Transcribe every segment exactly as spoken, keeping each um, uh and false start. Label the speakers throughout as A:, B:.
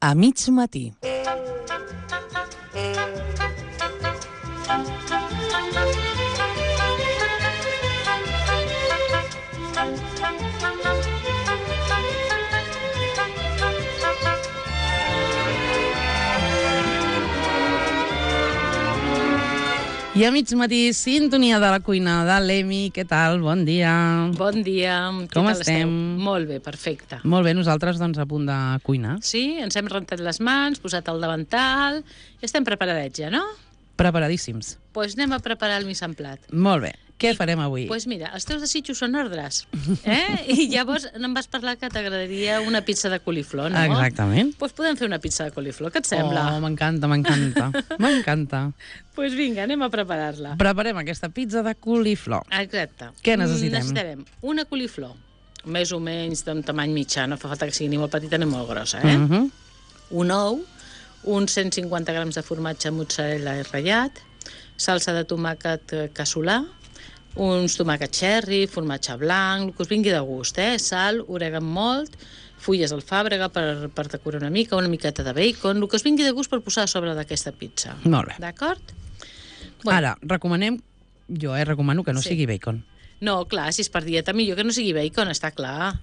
A: A mig matí. I a mig matí, sintonia de la cuina de l'Emi. Què tal? Bon dia.
B: Bon dia.
A: Com
B: Què tal
A: estem?
B: esteu? Molt bé, perfecte.
A: Molt bé, nosaltres doncs a punt de cuinar.
B: Sí, ens hem rentat les mans, posat el davantal i estem preparadets ja, no?
A: Preparadíssims.
B: Doncs pues anem a preparar el mise en plat.
A: Molt bé. Què farem avui?
B: Doncs pues mira, els teus desitjos són ordres, eh? I llavors em vas parlar que t'agradaria una pizza de coliflor, no?
A: Exactament.
B: Doncs pues podem fer una pizza de coliflor, què et sembla?
A: Oh, m'encanta, m'encanta. M'encanta.
B: Doncs pues vinga, anem a preparar-la.
A: Preparem aquesta pizza de coliflor.
B: Exacte.
A: Què necessitem?
B: Necessitarem una coliflor, més o menys d'un tamany mitjà, no fa falta que sigui ni molt petita ni molt grossa, eh?
A: Uh -huh.
B: Un ou, uns cent cinquanta grams de formatge mozzarella ratllat, salsa de tomàquet casolà, uns tomàquets cherry, formatge blanc, el que us vingui de gust, eh? Sal, orègan molt, fulles d'alfàbrega per, per decorar una mica, una miqueta de bacon, el que us vingui de gust per posar a sobre d'aquesta pizza.
A: Molt bé.
B: D'acord?
A: Bueno. Ara, recomanem, jo eh, recomano que no
B: Sí.
A: sigui bacon.
B: No, clar, si és per dieta, millor que no sigui bacon, està clar.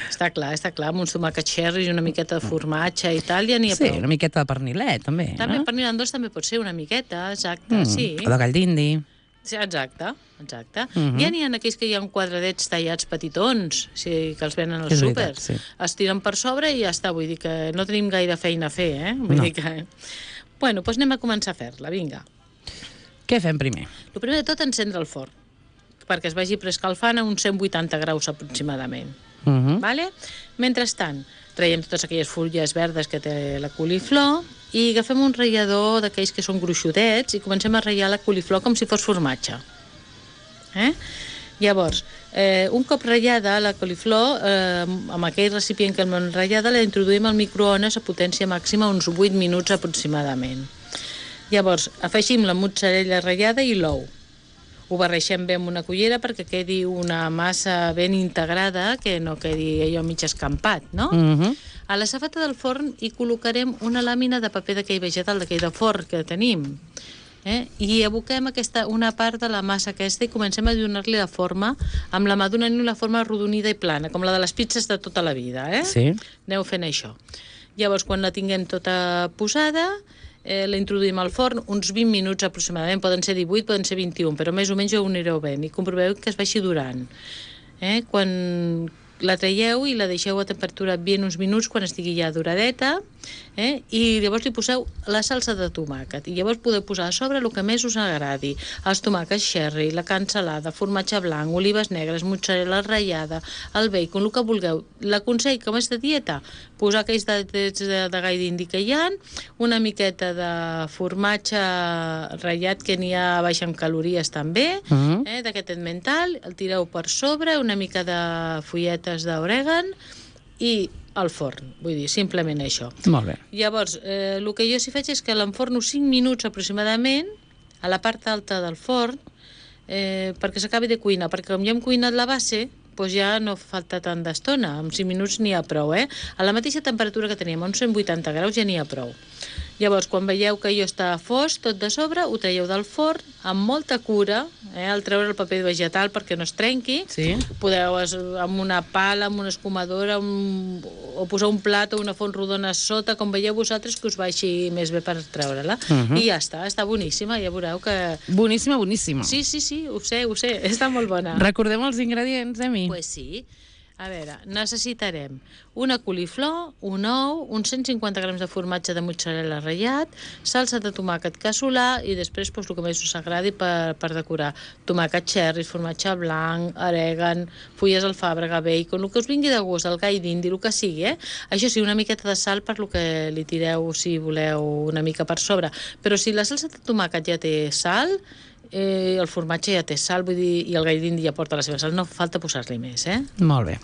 B: Està clar, està clar, amb uns tomàquets cherry i una miqueta de formatge i tal, ja n'hi ha
A: Sí,
B: prou.
A: una miqueta de pernilet, també.
B: També
A: no?
B: pernil en dos també pot ser una miqueta, exacte,
A: Mm,
B: sí.
A: O de gall d'indi.
B: Sí, exacte, exacte.
A: Uh -huh.
B: Ja n'hi ha aquells que hi ha quadradets tallats petitons, sí, que els venen als
A: És
B: súpers.
A: veritat, sí.
B: Es tiren per sobre i ja està, vull dir que no tenim gaire feina a fer, eh? Vull
A: No.
B: dir que... Bueno, doncs anem a començar a fer-la, vinga.
A: Què fem primer?
B: El primer de tot, encendre el forn, perquè es vagi preescalfant a uns cent vuitanta graus aproximadament.
A: Uh -huh.
B: Vale? Mentrestant, traiem totes aquelles fulles verdes que té la coliflor i agafem un ratllador d'aquells que són gruixudets i comencem a ratllar la coliflor com si fos formatge. Eh? Llavors, eh, un cop ratllada la coliflor, eh, amb aquell recipient que l'hem ratllada, la introduïm al microones a potència màxima uns vuit minuts aproximadament. Llavors, afegim la mozzarella ratllada i l'ou. Ho barreixem bé amb una cullera perquè quedi una massa ben integrada, que no quedi allò mig escampat, no?
A: Uh -huh.
B: A la safata del forn hi col·locarem una làmina de paper d'aquell vegetal, d'aquell de forn que tenim. Eh? I aboquem aquesta, una part de la massa aquesta i comencem a donar-li la forma, amb la mà donant-li una forma arrodonida i plana, com la de les pizzas de tota la vida. Eh?
A: Sí.
B: Aneu fent això. Llavors, quan la tinguem tota posada, eh, la introduïm al forn uns vint minuts aproximadament, poden ser divuit, poden ser vint-i-un, però més o menys ho anireu veient i comproveu que es vagi durant. Eh? Quan la traieu i la deixeu a temperatura ambient uns minuts quan estigui ja doradeta, eh? I llavors li poseu la salsa de tomàquet i llavors podeu posar a sobre el que més us agradi, els tomàquets cherry, la cansalada, formatge blanc, olives negres, mozzarella ratllada, el bacon, el que vulgueu. L'aconsell, com és de dieta, posar aquells de, de, de gall d'indi que hi ha, una miqueta de formatge ratllat que n'hi ha baix en calories també,
A: Uh -huh.
B: eh? d'aquest mental, el tireu per sobre, una mica de fulletes d'orègan i al forn, vull dir, simplement això.
A: Molt bé.
B: Llavors, eh, el que jo sí faig és que l'enforno cinc minuts aproximadament a la part alta del forn eh, perquè s'acabi de cuinar, perquè com ja hem cuinat la base, doncs ja no falta tant d'estona, amb cinc minuts n'hi ha prou, eh? A la mateixa temperatura que teníem, a uns cent vuitanta graus, ja n'hi ha prou. Llavors, quan veieu que allò està fos, tot de sobre, ho traieu del forn amb molta cura, eh, al treure el paper vegetal perquè no es trenqui.
A: Sí.
B: Podeu, es, amb una pala, amb una escumadora, un, o posar un plat o una font rodona a sota, com veieu vosaltres, que us vagi més bé per treure-la.
A: Uh -huh.
B: I ja està, està boníssima, ja veureu que...
A: Boníssima, boníssima.
B: Sí, sí, sí, ho sé, ho sé, està molt bona.
A: Recordem els ingredients, Emi.
B: Pues sí. A veure, necessitarem una coliflor, un ou, uns cent cinquanta grams de formatge de mozzarella ratllat, salsa de tomàquet casolà i després pues, el que més us agradi per, per decorar. Tomàquet cherry, formatge blanc, orègan, fulles d'alfàbrega, bacon, el que us vingui de gust, el gall d'indi, el que sigui, eh? Això sí, una miqueta de sal per lo que li tireu si voleu una mica per sobre. Però si la salsa de tomàquet ja té sal, Eh, el formatge ja té sal, vull dir, i el gall d'indi ja porta la seva sal, no falta posar-li més, eh?
A: Molt bé.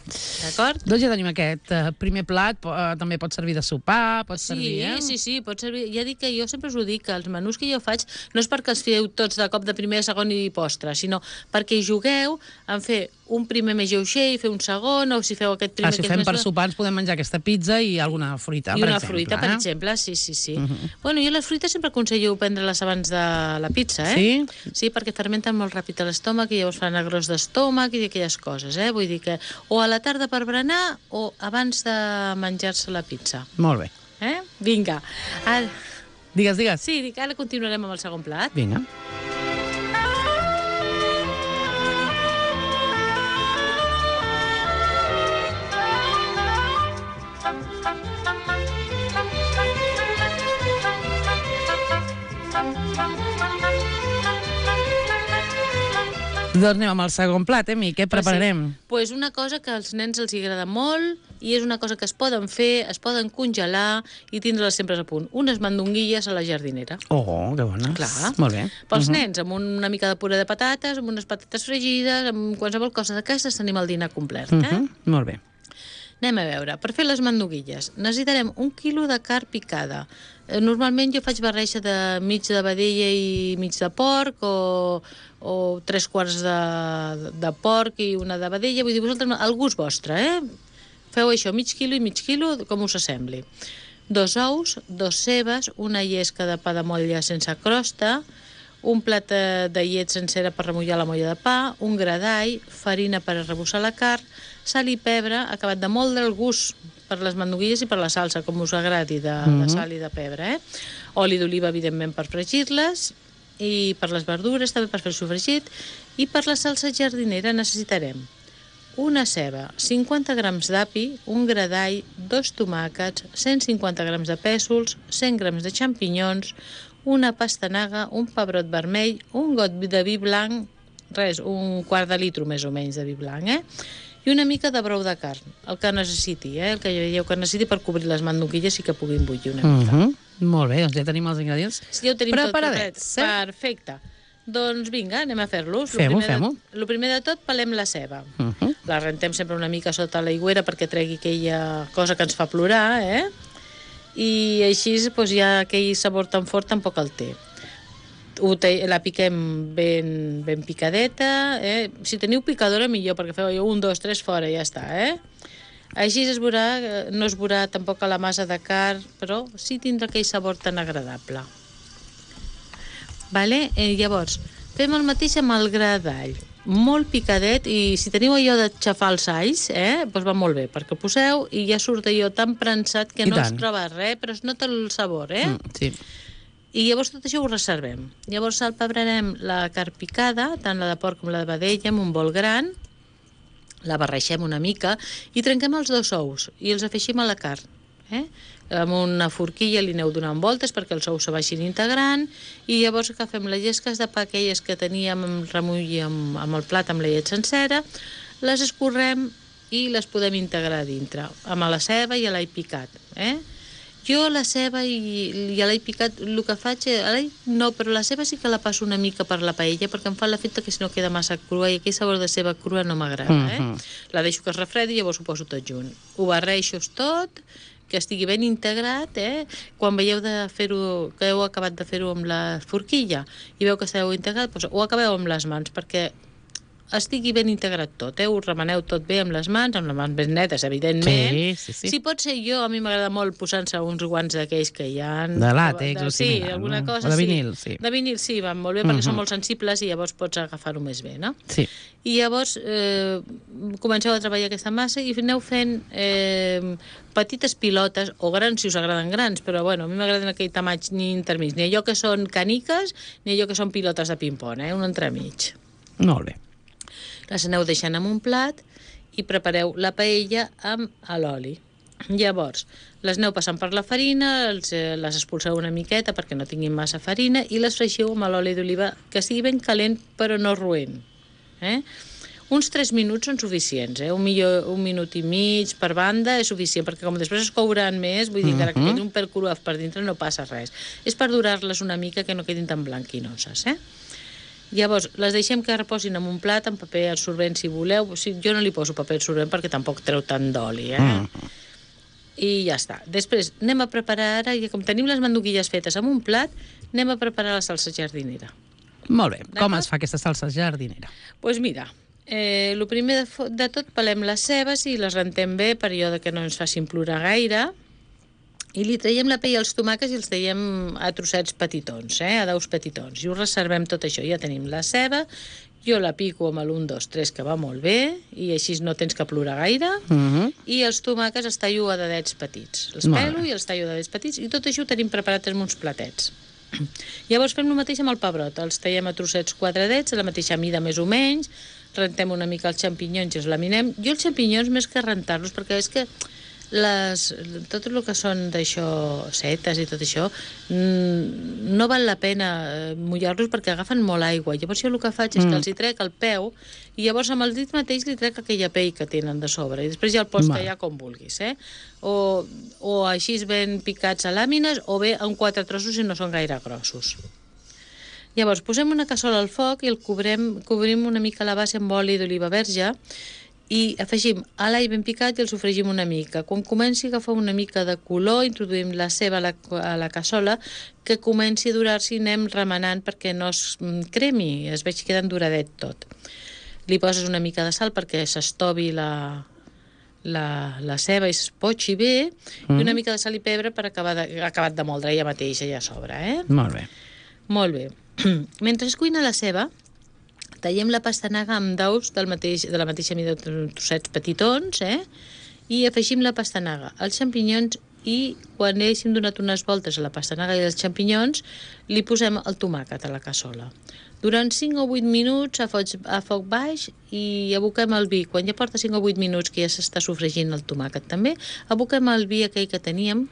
B: D'acord?
A: Doncs ja tenim aquest uh, primer plat, uh, també pot servir de sopar, pot
B: Sí,
A: servir, eh?
B: sí, sí, pot servir. Ja dic que jo sempre us ho dic, que els menús que jo faig no és perquè els feu tots de cop de primer, segon i postre, sinó perquè hi jugueu en fer un primer més lleuger i fer un segon, o si feu aquest primer...
A: Ah, si
B: que és
A: fem
B: més...
A: per sopar ens podem menjar aquesta pizza i alguna fruita,
B: I
A: per
B: una
A: exemple.
B: fruita, per
A: eh?
B: exemple, sí, sí, sí.
A: Uh -huh.
B: Bueno, jo les fruites sempre aconsello prendre-les abans de la pizza, eh?
A: Sí?
B: Sí, perquè fermenten molt ràpid a l'estómac i llavors fan agrós d'estómac i aquelles coses, eh? Vull dir que o a la tarda per berenar o abans de menjar-se la pizza.
A: Molt bé.
B: Eh? Vinga. Ara...
A: Digues, digues.
B: Sí, dic, ara continuarem amb el segon plat.
A: Vinga. Doncs anem amb el segon plat, eh, Mi? Què prepararem?
B: Doncs pues una cosa que als nens els agrada molt i és una cosa que es poden fer, es poden congelar i tindre-les sempre a punt. Unes mandonguilles a la jardinera.
A: Oh, que bones.
B: Clar.
A: Molt bé.
B: Pels
A: Uh -huh.
B: nens, amb una mica de puré de patates, amb unes patates fregides, amb qualsevol cosa d'aquestes tenim el dinar complet, eh?
A: Uh -huh. Molt bé.
B: Anem a veure, per fer les mandonguilles necessitarem un quilo de carn picada. Eh, Normalment jo faig barreja de mig de vedella i mig de porc, o, o tres quarts de, de porc i una de vedella, vull dir, vosaltres, el gust vostre, eh? Feu això, mig quilo i mig quilo, com us assembli. Dos ous, dos cebes, una llesca de pa de motlla sense crosta, un plat de llet sencera per remullar la molla de pa, un gra d'all, farina per arrebossar la carn, sal i pebre, acabat de molt del gust per les mandonguilles i per la salsa, com us agradi, de, uh -huh. de sal i de pebre, eh? Oli d'oliva, evidentment, per fregir-les, i per les verdures, també per fer el sofregit, i per la salsa jardinera necessitarem una ceba, cinquanta grams d'api, un gra d'all, dos tomàquets, cent cinquanta grams de pèsols, cent grams de xampinyons, una pastanaga, un pebrot vermell, un got de vi blanc, res, un quart de litro més o menys de vi blanc, eh? I una mica de brou de carn, el que necessiti, eh? El que veieu que necessiti per cobrir les mandonguilles i que puguin bullir una mica.
A: Uh -huh. Molt bé, doncs ja tenim els ingredients
B: Sí, ja ho tenim
A: preparadets.
B: tot, eh? Perfecte. Doncs vinga, anem a fer-los.
A: Fem-ho, fem-ho.
B: El primer de tot, pelem la ceba.
A: Uh -huh.
B: La rentem sempre una mica sota l'aigüera perquè tregui aquella cosa que ens fa plorar, eh? I així doncs, ja aquell sabor tan fort tampoc el té. Ho te, la piquem ben, ben picadeta, eh? Si teniu picadora millor, perquè feu un, dos, tres fora i ja està, eh? Així es veurà, no es veurà tampoc a la massa de carn, però sí tindrà aquell sabor tan agradable. Vale? Eh, llavors, fem el mateix amb el gra d'all. Molt picadet, i si teniu allò de xafar els alls, eh, doncs va molt bé, perquè ho poseu i ja surt allò tan prensat que
A: I
B: no
A: tant.
B: es troba res, però es nota el sabor, eh?
A: Mm, sí.
B: I llavors tot això ho reservem. Llavors salpebrarem la carn picada, tant la de porc com la de vedella, amb un bol gran, la barreixem una mica i trenquem els dos ous i els afegim a la carn. Eh? Amb una forquilla li aneu donant voltes perquè els ous se vagin integrant, i llavors agafem les llesques de pa aquelles que teníem amb remull i amb, amb el plat amb la llet sencera, les escorrem i les podem integrar a dintre, amb la ceba i l'all picat. Eh? Jo la ceba i, i l'all picat, el que faig, l'all no, però la ceba sí que la passo una mica per la paella perquè em fa l'efecte que si no queda massa crua, i aquell sabor de ceba crua no m'agrada. Eh?
A: Mhm.
B: La deixo que es refredi i llavors ho poso tot junt. Ho barreixo tot, que estigui ben integrat, eh? Quan veieu de fer-ho, que heu acabat de fer-ho amb la forquilla i veu que esteu integrat, doncs ho acabeu amb les mans perquè estigui ben integrat tot, eh? Ho remeneu tot bé amb les mans, amb les mans ben netes, evidentment.
A: Sí, sí, sí.
B: Si pot ser jo, a mi m'agrada molt posar-se uns guants d'aquells que hi ha...
A: De làtex o
B: sí,
A: similar,
B: alguna
A: no?
B: cosa,
A: O de
B: sí.
A: vinil, sí.
B: De vinil, sí, van molt bé perquè
A: Mhm.
B: són molt sensibles i llavors pots agafar-ho més bé, no?
A: Sí.
B: I llavors eh, comenceu a treballar aquesta massa i aneu fent eh, petites pilotes, o grans si us agraden grans, però bueno, a mi m'agraden aquell tamany ni intermig, ni allò que són caniques ni allò que són pilotes de ping-pong, eh? Un entremig.
A: Molt bé.
B: Les aneu deixant en un plat i prepareu la paella amb l'oli. Llavors, les aneu passant per la farina, els, eh, les expulseu una miqueta perquè no tinguin massa farina i les freixiu amb l'oli d'oliva que sigui ben calent però no roent. Eh? Uns tres minuts són suficients, eh? un, millor, un minut i mig per banda és suficient, perquè com després es couran més, vull dir, encara que
A: Mhm.
B: quedi un pèl cruaf per dintre no passa res. És per durar-les una mica que no quedin tan blanquinoses, eh? Llavors, les deixem que reposin en un plat, amb paper absorbent, si voleu. O sigui, jo no li poso paper absorbent perquè tampoc treu tant d'oli, eh? Mm. I ja està. Després, anem a preparar ara, i com tenim les manduguilles fetes en un plat, anem a preparar la salsa jardinera.
A: Molt bé. Com es fa aquesta salsa jardinera?
B: Doncs pues mira, eh, el primer de, de tot pelem les cebes i les rentem bé per allò que no ens facin plorar gaire. I li traiem la pell als tomàquets i els traiem a trossets petitons, eh? A daus petitons. I ho reservem tot això. Ja tenim la ceba, jo la pico amb l'un, dos, tres, que va molt bé, i així no tens que plorar gaire. Uh-huh. I els tomàquets els tallo a dadets petits. Els pelo i els tallo a dadets petits, i tot això ho tenim preparat en uns platets. Llavors fem el mateix amb el pebrot. Els tallem a trossets quadradets, a la mateixa mida més o menys, rentem una mica els xampinyons i els laminem. Jo els xampinyons, més que rentar-los, perquè és que les, tot el que són d'això, setes i tot això, no val la pena mullar-los perquè agafen molt aigua. Llavors jo el que faig és que els hi trec el peu i llavors amb el dit mateix li trec aquella pell que tenen de sobre i després ja el pots tallar com vulguis, eh? O, o així ben picats a làmines o bé en quatre trossos si no són gaire grossos. Llavors posem una cassola al foc i el cobrem, cobrim una mica la base amb oli d'oliva verge i afegim a l'all ben picat i el sofregim una mica. Quan comenci a agafar una mica de color, introduïm la ceba a la, a la cassola, que comenci a durar-s'hi i anem remenant perquè no es cremi, es veig que queda enduradet tot. Li poses una mica de sal perquè s'estovi la, la, la ceba i es potxi bé, mm. i una mica de sal i pebre per acabar de, acabat de moldre ja mateix, ja a sobre, eh?
A: Molt bé.
B: Molt bé. Mentre es cuina la ceba, tallem la pastanaga amb daus del mateix, de la mateixa mida de trossets petitons, eh? I afegim la pastanaga, els xampinyons i quan haguéssim donat unes voltes a la pastanaga i els xampinyons, li posem el tomàquet a la cassola. Durant cinc o vuit minuts a foc, a foc baix i aboquem el vi. Quan ja porta cinc o vuit minuts que ja s'està sofregint el tomàquet també, aboquem el vi aquell que teníem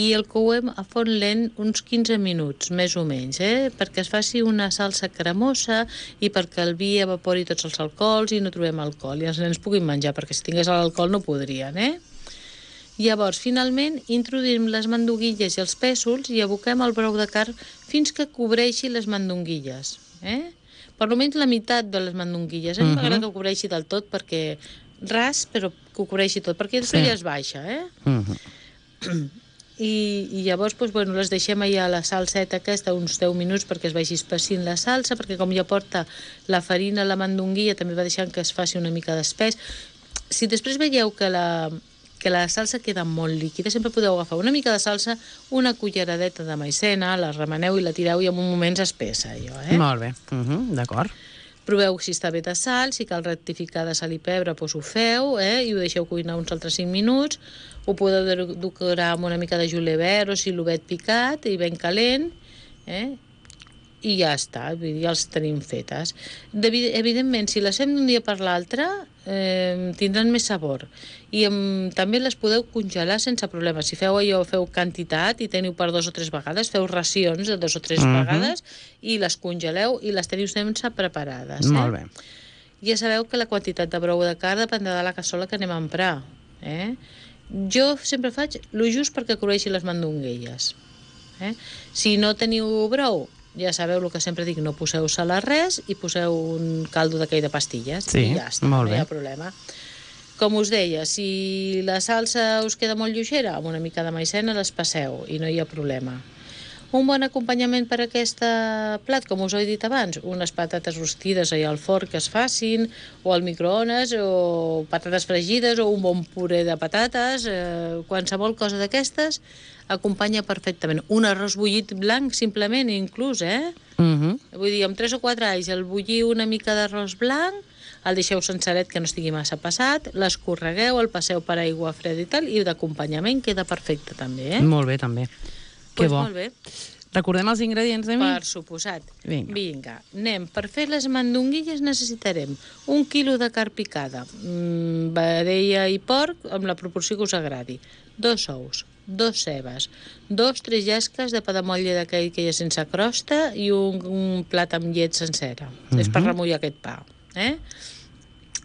B: i el couem a forn lent uns quinze minuts, més o menys, eh? Perquè es faci una salsa cremosa i perquè el vi evapori tots els alcohols i no trobem alcohol i els nens puguin menjar, perquè si tingués l'alcohol no podrien, eh? Llavors, finalment, introduïm les manduguilles i els pèsols i aboquem el brou de carn fins que cobreixi les mandonguilles, eh? Per almenys la meitat de les mandonguilles. A mi m'agrada que ho cobreixi del tot perquè ras, però que ho cobreixi tot, perquè després ja es baixa, eh? Uh-huh. I, i llavors doncs, bueno, les deixem allà a la salseta aquesta uns deu minuts perquè es vagi espessint la salsa, perquè com ja porta la farina, la mandonguilla, també va deixant que es faci una mica d'espès. Si després veieu que la, que la salsa queda molt líquida, sempre podeu agafar una mica de salsa, una culleradeta de maicena, la remeneu i la tireu i en un moment s'espessa, allò, eh?
A: Molt bé, uh-huh, d'acord.
B: Proveu si està bé de sal, si cal rectificar de sal i pebre, doncs ho feu, eh? I ho deixeu cuinar uns altres cinc minuts. Ho podeu decorar amb una mica de julivert o silovet picat i ben calent, eh? I ja està, ja els tenim fetes. Evidentment, si les fem d'un dia per l'altre, eh, tindran més sabor. I em, també les podeu congelar sense problema. Si feu allò, feu quantitat i teniu per dos o tres vegades, feu racions de dos o tres uh-huh. vegades i les congeleu i les teniu sense preparades. Eh?
A: Molt bé.
B: Ja sabeu que la quantitat de brou de carn dependrà de la cassola que anem a emprar. Eh? Jo sempre faig lo just perquè cobreixi les mandonguilles. Eh? Si no teniu brou, ja sabeu el que sempre dic, no poseu sal a res i poseu un caldo d'aquell de pastilles
A: sí,
B: i ja està,
A: molt
B: no
A: bé.
B: hi ha problema. Com us deia, si la salsa us queda molt lleugera, amb una mica de maicena les passeu i no hi ha problema. Un bon acompanyament per a aquest plat, com us he dit abans, unes patates rostides allà al forn que es facin, o al microones, o patates fregides, o un bon puré de patates, eh, qualsevol cosa d'aquestes, acompanya perfectament. Un arròs bullit blanc, simplement, inclús, eh? Uh-huh. Vull dir, amb tres o quatre alls, el bullir una mica d'arròs blanc, el deixeu senceret que no estigui massa passat, l'escorregueu, el passeu per aigua freda i tal, i d'acompanyament queda perfecte també, eh?
A: Molt bé, també. Que
B: pues
A: bo.
B: Molt bé.
A: Recordem els ingredients, de mi?
B: Per suposat.
A: Vinga.
B: Vinga, anem. Per fer les mandonguilles necessitarem un quilo de carn picada, mmm, vedella i porc, amb la proporció que us agradi, dos ous, dos cebes, dos, tres llesques de pa de motlle d'aquell que hi ha sense crosta i un, un plat amb llet sencera. Uh-huh. És per remullar aquest pa. Eh?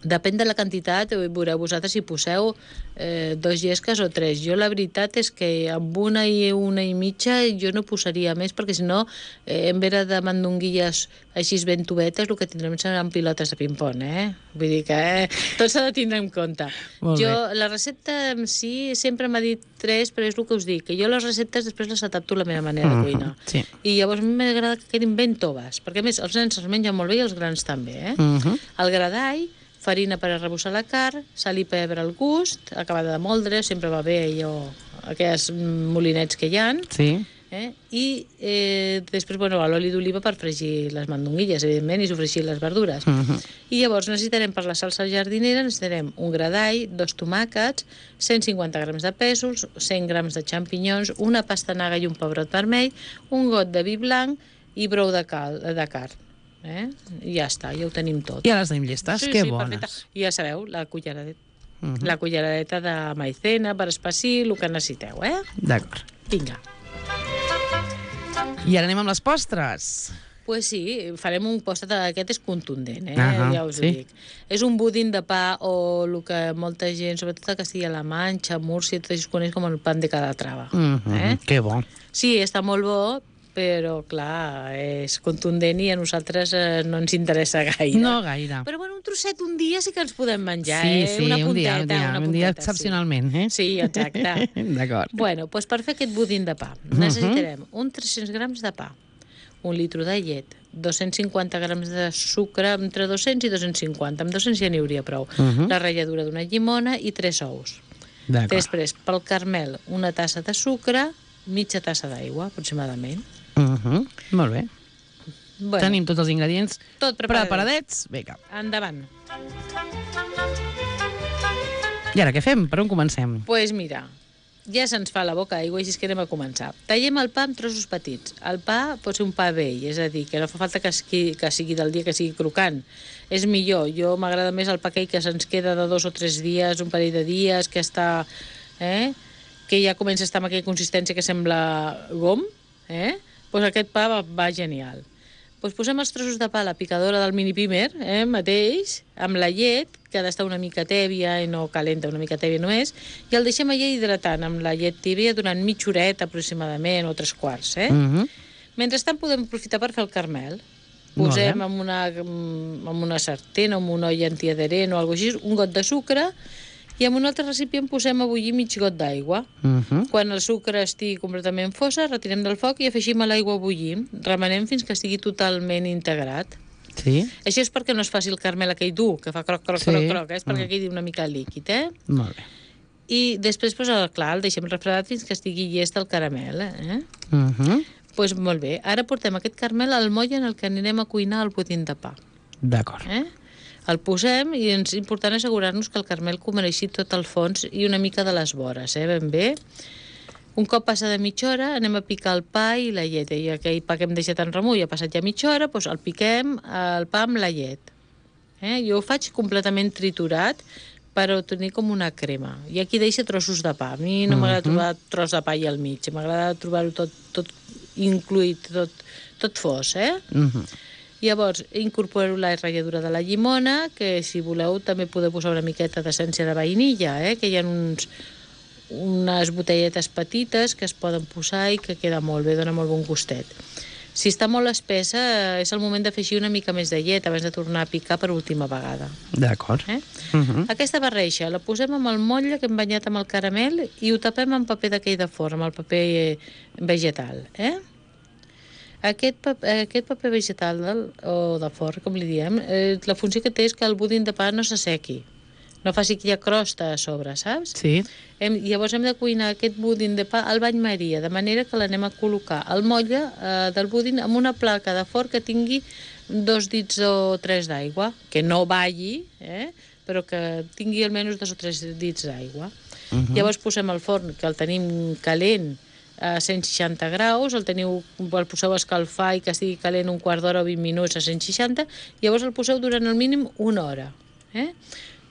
B: Depèn de la quantitat, veureu vosaltres si poseu eh, dos llesques o tres. Jo la veritat és que amb una i una i mitja jo no posaria més, perquè si no, eh, en vez de mandonguilles així ben tubetes, el que tindrem seran pilotes de ping-pong, eh? Vull dir que eh, tot s'ha de tindre en compte.
A: Molt
B: Jo,
A: bé.
B: la recepta en si sempre m'ha dit tres, però és el que us dic, que jo les receptes després les adapto a la meva manera de cuinar.
A: Uh -huh, sí.
B: I llavors a mi m'agrada que quedin ben toves, perquè a més els nens els mengen molt bé i els grans també, eh?
A: Uh -huh.
B: El gra d'all, farina per arrebossar la carn, sal i pebre al gust, acabada de moldre, sempre va bé allò, aquells molinets que hi ha,
A: Sí.
B: eh? I eh, després, bueno, l'oli d'oliva per fregir les mandonguilles, evidentment, i sofregir les verdures.
A: Uh -huh.
B: I llavors necessitarem per la salsa jardinera, necessitarem un gra d'all, dos tomàquets, cent cinquanta grams de pèsols, cent grams de xampinyons, una pastanaga i un pebrot vermell, un got de vi blanc i brou de, cal, de carn. Eh? I ja està, ja ho tenim tot.
A: Ja les tenim llistes,
B: Sí,
A: que
B: sí,
A: bones.
B: perfecte. I ja sabeu, la culleradeta,
A: Uh -huh.
B: la culleradeta de maicena per espessir, el que necessiteu, eh?
A: D'acord.
B: Vinga.
A: I ara anem amb les postres.
B: Pues sí, farem un postre, aquest és contundent, eh?
A: Ahà,
B: Ja us
A: sí.
B: ho dic. És un budín de pa, o el que molta gent, sobretot a Castilla-La Manxa, Múrcia, tot això es coneix com el pan de Calatrava.
A: Uh -huh.
B: eh?
A: Que bo.
B: Sí, està molt bo, però, clar, és contundent i a nosaltres eh, no ens interessa gaire.
A: No gaire.
B: Però, bueno, un trosset un dia sí que ens podem menjar,
A: Sí,
B: eh?
A: sí,
B: una
A: un
B: punteta,
A: dia, un dia,
B: una
A: un dia
B: punteta,
A: excepcionalment, eh?
B: Sí, exacte.
A: D'acord.
B: Bueno, doncs per fer aquest budín de pa necessitarem un tres-cents grams de pa, un litro de llet, dos-cents cinquanta grams de sucre, entre dos-cents i dos-cents cinquanta, amb dos-cents ja n'hi hauria prou,
A: Mhm.
B: la ratlladura d'una llimona i tres ous.
A: D'acord.
B: Després, pel caramel, una tassa de sucre, mitja tassa d'aigua, aproximadament.
A: Uh -huh. Molt bé.
B: Bueno,
A: Tenim tots els ingredients
B: tot preparadets.
A: preparadets. Vinga.
B: Endavant.
A: I ara què fem? Per on comencem?
B: Doncs pues mira, ja se'ns fa la boca aigua, així que anem a començar. Tallem el pa en trossos petits. El pa pot ser un pa vell, és a dir, que no fa falta que sigui, que sigui del dia, que sigui crocant. És millor. Jo m'agrada més el pa aquell que se'ns queda de dos o tres dies, un parell de dies, que està... Eh? que ja comença a estar amb aquella consistència que sembla gom, eh? Pues aquest pa va, va genial. Pues posem els trossos de pa a la picadora del mini pimer, eh, mateix, amb la llet, que ha d'estar una mica tèbia i no calenta, una mica tèbia només, i el deixem allà hidratant amb la llet tèbia durant mitja horeta aproximadament, o tres quarts, eh?
A: Uh -huh.
B: Mentrestant podem aprofitar per fer el caramel.
A: Molt
B: Posem
A: bé.
B: en una, en una sartén o en una olla antiadherent o alguna cosa així, un got de sucre, i en un altre recipient posem a bullir mig got d'aigua.
A: Uh -huh.
B: Quan el sucre estigui completament fosa, retirem del foc i afegim a l'aigua a bullir. Remenem fins que estigui totalment integrat.
A: Sí?
B: Això és perquè no es faci el caramel aquell dur, que fa croc, croc,
A: Sí.
B: croc, croc, eh? És perquè
A: Mm.
B: quedi una mica líquid, eh?
A: Molt bé.
B: I després, pues, el, clar, el deixem refredat fins que estigui llest el caramel, eh?
A: Uh -huh.
B: Pues molt bé, ara portem aquest caramel al moll en el que anirem a cuinar el budín de pa.
A: D'acord.
B: Eh? El posem i és important assegurar-nos que el caramel cobreixi tot el fons i una mica de les vores, eh? Ben bé. Un cop passa de mitja hora anem a picar el pa i la llet. I aquell pa que hem deixat en remull ha passat ja mitja hora, doncs el piquem el pa amb la llet. Eh? Jo ho faig completament triturat per obtenir com una crema. I aquí deixa trossos de pa. A mi no m'agrada trobar tros de pa i al mig. M'agrada trobar-ho tot, tot incluït, tot, tot fos, eh?
A: Uh -huh.
B: Llavors, incorporo la ratlladura de la llimona, que si voleu també podeu posar una miqueta d'essència de vainilla, eh? Que hi ha uns, unes botelletes petites que es poden posar i que queda molt bé, dona molt bon gustet. Si està molt espessa, és el moment d'afegir una mica més de llet abans de tornar a picar per última vegada.
A: D'acord.
B: Eh?
A: Uh -huh.
B: Aquesta barreja la posem amb el motlle que hem banyat amb el caramel i ho tapem amb paper d'aquell de forn, amb el paper eh, vegetal. Eh? Aquest, paper, aquest paper vegetal del, o de forn, com li diem, eh, la funció que té és que el budín de pa no s'assequi, no faci aquella crosta a sobre, saps?
A: Sí.
B: Hem, llavors hem de cuinar aquest budín de pa al bany maria, de manera que l'anem a col·locar al motlle eh, del budín amb una placa de forn que tingui dos dits o tres d'aigua, que no balli, eh? Però que tingui almenys dos o tres dits d'aigua.
A: Uh -huh.
B: Llavors posem el forn, que el tenim calent, a cent seixanta graus, el teniu, el poseu a escalfar i que estigui calent un quart d'hora o vint minuts a cent seixanta, llavors el poseu durant el mínim una hora. Eh?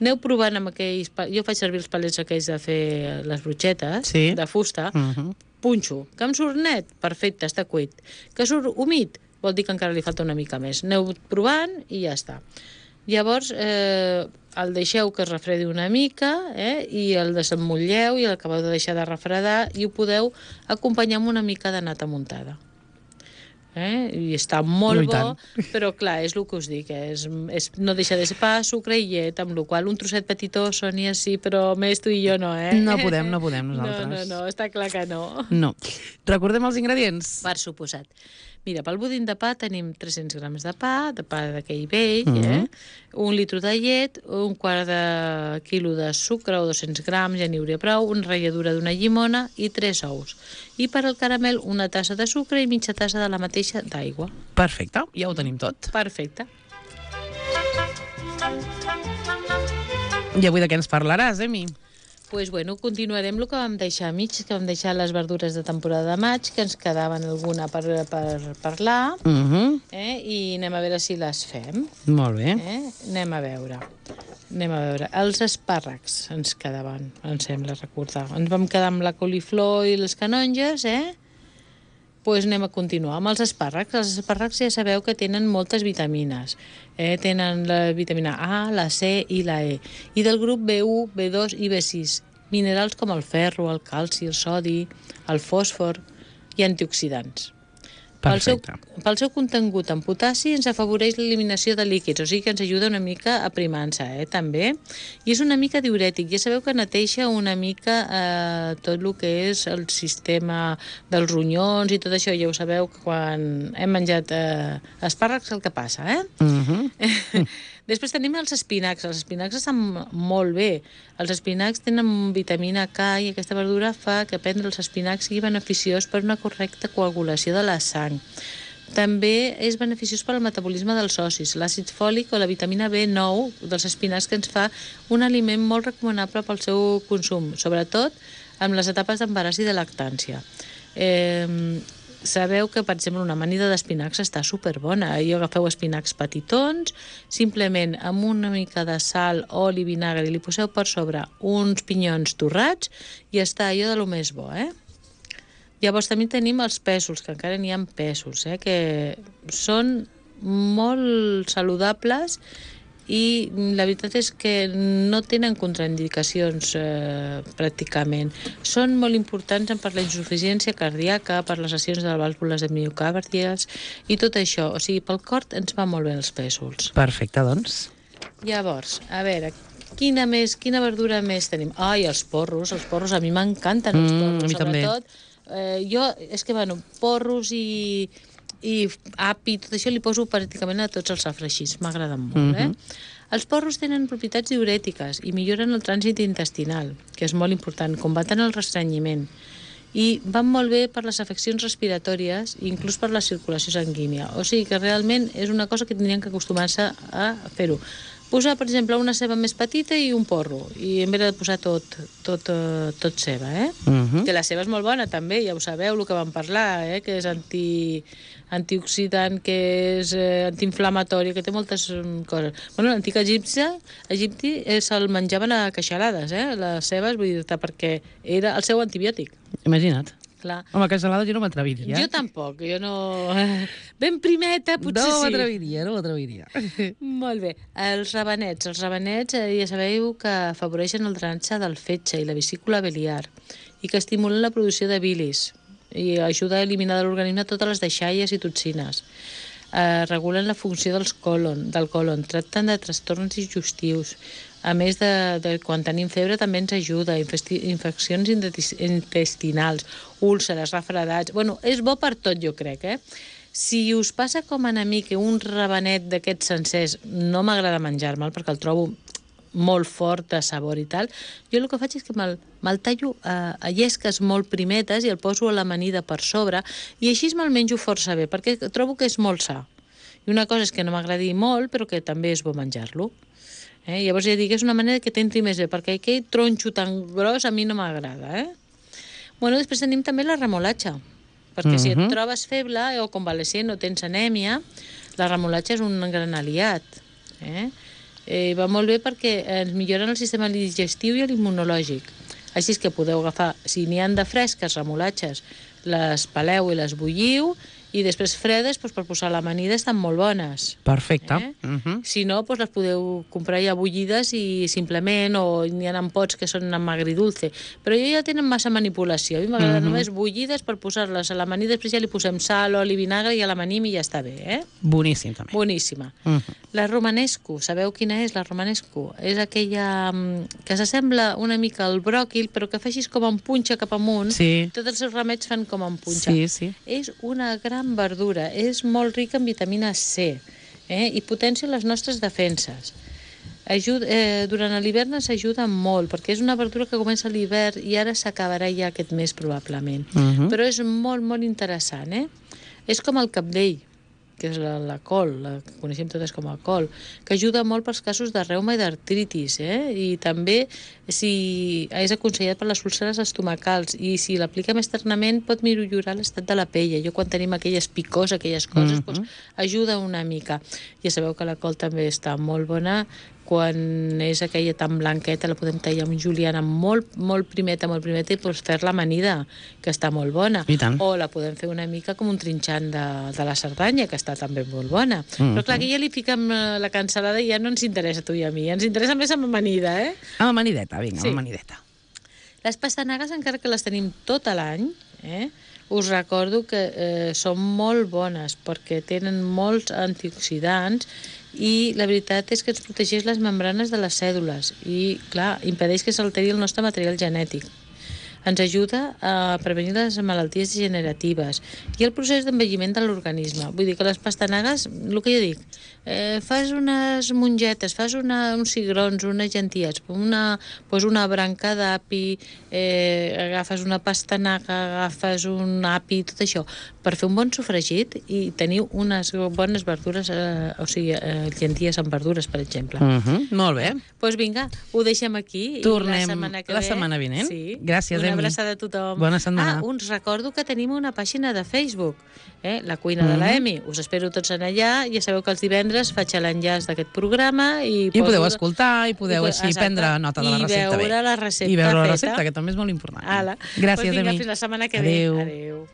B: Aneu provant amb aquells... Jo faig servir els palets aquells de fer les brutxetes,
A: Sí.
B: de fusta,
A: Uh -huh.
B: punxo. Que em surt net? Perfecte, està cuit. Que surt humit? Vol dir que encara li falta una mica més. Aneu provant i ja està. Llavors, eh, el deixeu que es refredi una mica, eh? I el desemmotlleu i l'acabeu de deixar de refredar i ho podeu acompanyar amb una mica de nata muntada. Eh? I està molt
A: No,
B: bo, però clar, és el que us dic, és, és, no deixa de ser pa, sucre i llet, amb la qual un trosset petitó, Sònia, sí, però més tu i jo no, eh?
A: No podem, no podem nosaltres.
B: No, no, no, està clar que no.
A: No. Recordem els ingredients.
B: Per suposat. Mira, pel budín de pa tenim tres-cents grams de pa, de pa d'aquell vell,
A: Mhm.
B: eh? Un litre de llet, un quart de quilo de sucre o dos-cents grams, ja n'hi hauria prou, una ratlladura d'una llimona i tres ous. I per al caramel, una tassa de sucre i mitja tassa de la mateixa d'aigua.
A: Perfecte, ja ho tenim tot.
B: Perfecte.
A: I avui de què ens parlaràs, Emi?
B: Pues bueno, continuarem el que vam deixar a mig, que vam deixar les verdures de temporada de maig, que ens quedaven alguna per, per parlar,
A: Uh -huh.
B: eh? I anem a veure si les fem.
A: Molt bé.
B: Eh? Anem a veure. Anem a veure. Els espàrrecs ens quedaven, em sembla recordar. Ens vam quedar amb la coliflor i les canonges, eh? Pues anem a continuar amb els espàrrecs. Els espàrrecs ja sabeu que tenen moltes vitamines. Eh? Tenen la vitamina A, la C i la E. I del grup B u, B dos i B sis. Minerals com el ferro, el calci, el sodi, el fòsfor i antioxidants. Pel seu,
A: Perfecte.
B: pel seu contingut en potassi ens afavoreix l'eliminació de líquids, o sigui que ens ajuda una mica a primar-se, eh, també. I és una mica diurètic. Ja sabeu que neteja una mica eh, tot el que és el sistema dels ronyons i tot això. Ja ho sabeu que quan hem menjat eh, espàrrecs el que passa, eh?
A: Uh -huh.
B: Després tenim els espinacs. Els espinacs estan molt bé. Els espinacs tenen vitamina K i aquesta verdura fa que prendre els espinacs sigui beneficiós per una correcta coagulació de la sang. També és beneficiós per al metabolisme dels ossis, l'àcid fòlic o la vitamina B nou dels espinacs, que ens fa un aliment molt recomanable pel seu consum, sobretot en les etapes d'embaràs i de lactància. Eh, sabeu que, per exemple, una amanida d'espinacs està superbona. I agafeu espinacs petitons, simplement amb una mica de sal, oli, vinagre, i li poseu per sobre uns pinyons torrats i està allò de lo més bo, eh? Llavors també tenim els pèsols, que encara n'hi ha pèsols, eh? Que són molt saludables i la veritat és que no tenen contraindicacions eh, pràcticament. Són molt importants per la insuficiència cardíaca, per les lesions de les vàlvules de miocàrdies i tot això. O sigui, pel cor ens va molt bé els pèsols.
A: Perfecte, doncs.
B: Llavors, a veure, quina més, quina verdura més tenim? Ai, els porros, els porros, a mi m'encanten els
A: Mm,
B: porros,
A: a mi també.
B: sobretot. Eh, jo, és que, bueno, porros i, i api, tot això li poso pràcticament a tots els afregits, m'agraden molt, eh?
A: Mhm.
B: Els porros tenen propietats diurètiques i milloren el trànsit intestinal, que és molt important, combaten el restrenyiment, i van molt bé per les afeccions respiratòries i inclús per la circulació sanguínia. O sigui que realment és una cosa que tindrien que acostumar-se a fer-ho. Posar, per exemple, una ceba més petita i un porro, i en vez de posar tot, tot, uh, tot ceba, eh?
A: Uh -huh.
B: Que la ceba és molt bona, també, ja ho sabeu, el que vam parlar, eh? Que és anti, antioxidant, que és eh, antiinflamatori, que té moltes um, coses. Bueno, l'antic egipci, egipti eh, se'l menjaven a queixalades, eh? Les cebes, vull dir-te, perquè era el seu antibiòtic.
A: Imagina't.
B: Clar.
A: Home, que gelada jo no m'atreviria.
B: Jo tampoc, jo no... Ben primeta, potser
A: no
B: sí.
A: m'atreviria, no m'atreviria.
B: Molt bé. Els rabanets. Els rabanets eh, ja sabeu que afavoreixen el drenatge del fetge i la vesícula biliar i que estimulen la producció de bilis i ajuda a eliminar de l'organisme totes les deixalles i toxines. Eh, regulen la funció dels colon, del colon, tracten de trastorns digestius. A més de, de quan tenim febre també ens ajuda, infesti, infeccions intestinals, úlceres, refredats... Bueno, és bo per tot, jo crec, eh? Si us passa com a mi que un rabanet d'aquests sencers no m'agrada menjar-me'l perquè el trobo molt fort de sabor i tal, jo el que faig és que me'l me tallo a, a llesques molt primetes i el poso a l'amanida per sobre i així me'l menjo força bé, perquè trobo que és molt sa. I una cosa és que no m'agradi molt, però que també és bo menjar-lo. Eh? Llavors ja dic, és una manera que t'entri més bé, perquè aquell tronxo tan gros a mi no m'agrada. Eh? Bueno, després tenim també la remolatxa, perquè uh-huh. si et trobes feble o convalescent o tens anèmia, la remolatxa és un gran aliat. Eh? Eh, va molt bé perquè ens milloren el sistema digestiu i l'immunològic. Així és que podeu agafar, si n'hi han de fresques, remolatxes, les peleu i les bulliu I després fredes, doncs, per posar a l'amanida estan molt bones.
A: Perfecte.
B: Eh?
A: Uh -huh.
B: Si no, doncs les podeu comprar ja bullides i simplement, o n'hi ha en pots que són amb agridulce. Però ja tenen massa manipulació. A mi m'agrada uh -huh. només bullides per posar-les a l'amanida, després ja li posem sal, oli, vinagre i a l'amanim i ja està bé, eh?
A: Boníssim, també.
B: Boníssima.
A: Uh -huh.
B: La romanesco, sabeu quina és la romanesco? És aquella que s'assembla una mica al bròquil, però que facis com en punxa cap amunt.
A: Sí.
B: Tots els seus remets fan com en punxa.
A: Sí, sí.
B: És una gran verdura, és molt rica en vitamina C, eh? I potencia les nostres defenses. Ajuda, eh, durant l'hivern s'ajuda molt, perquè és una verdura que comença a l'hivern i ara s'acabarà ja aquest mes, probablement.
A: Uh -huh.
B: Però és molt, molt interessant, eh? És com el cabdell, que és la, la col, la que coneixem totes com a col, que ajuda molt pels casos de reuma i d'artritis, eh? I també si és aconsellat per les úlceres estomacals, i si l'apliquem externament pot millorar l'estat de la pell. Jo quan tenim aquelles picors, aquelles coses, uh -huh. doncs, ajuda una mica. Ja sabeu que la col també està molt bona, quan és aquella tan blanqueta la podem tallar amb juliana molt, molt primeta, molt primeta, i doncs fer-la amanida, que està molt bona.
A: I tant.
B: O la podem fer una mica com un trinxant de, de la Cerdanya, que està també molt bona.
A: Mm-hmm.
B: Però clar, aquí ja li fiquem la cansalada i ja no ens interessa a tu i a mi, ens interessa més amb amanida, eh?
A: Amb amanideta, vinga,
B: Sí.
A: amb amanideta.
B: Les pastanagues, encara que les tenim tot l'any, eh, us recordo que eh, són molt bones perquè tenen molts antioxidants i la veritat és que ens protegeix les membranes de les cèl·lules i, clar, impedeix que s'alteri el nostre material genètic. Ens ajuda a prevenir les malalties degeneratives i el procés d'envelliment de l'organisme. Vull dir que les pastanagues, el que jo dic, eh, fas unes mongetes, fas una, uns cigrons, unes llenties, una, pues una branca d'api, eh, agafes una pastanaga, agafes un api, tot això, per fer un bon sofregit i teniu unes bones verdures, eh, o sigui, eh, llenties amb verdures, per exemple.
A: Uh -huh. Molt bé.
B: Doncs pues vinga, ho deixem aquí.
A: Tornem
B: i la setmana que
A: la
B: ve,
A: setmana vinent.
B: Sí.
A: Gràcies,
B: Una
A: Emi.
B: abraçada a tothom.
A: Bona setmana.
B: Ah, us recordo que tenim una pàgina de Facebook, eh? La cuina uh -huh. de la Emi. Us espero tots en allà. Ja sabeu que els divendres faig l'enllaç d'aquest programa i,
A: I podeu escoltar i podeu
B: I,
A: així
B: exacte,
A: prendre nota de la recepta.
B: I veure
A: bé.
B: la recepta
A: I veure la
B: feta.
A: recepta, que també és molt important.
B: Ala.
A: Gràcies,
B: pues vinga,
A: Emi.
B: fins la setmana que
A: Adéu.
B: ve. Adéu.